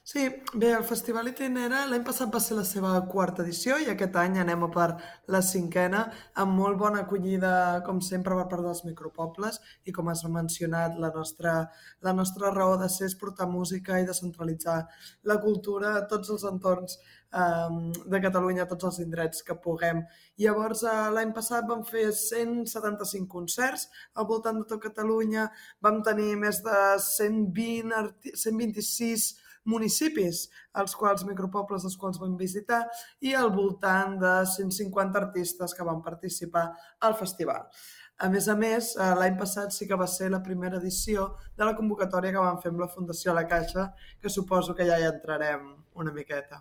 Sí, bé, el Festival Itinera l'any passat va ser la seva quarta edició i aquest any anem a per la cinquena, amb molt bona acollida, com sempre, per part dels micropobles i com has mencionat, la nostra raó de ser és portar música i descentralitzar la cultura a tots els entorns de Catalunya, a tots els indrets que puguem. Llavors, l'any passat vam fer 175 concerts al voltant de tot Catalunya, vam tenir més de 126 municipis, els quals micropobles als quals vam visitar, i al voltant de 150 artistes que van participar al festival. A més, l'any passat sí que va ser la primera edició de la convocatòria que vam fer amb la Fundació La Caixa, que suposo que ja hi entrarem una miqueta.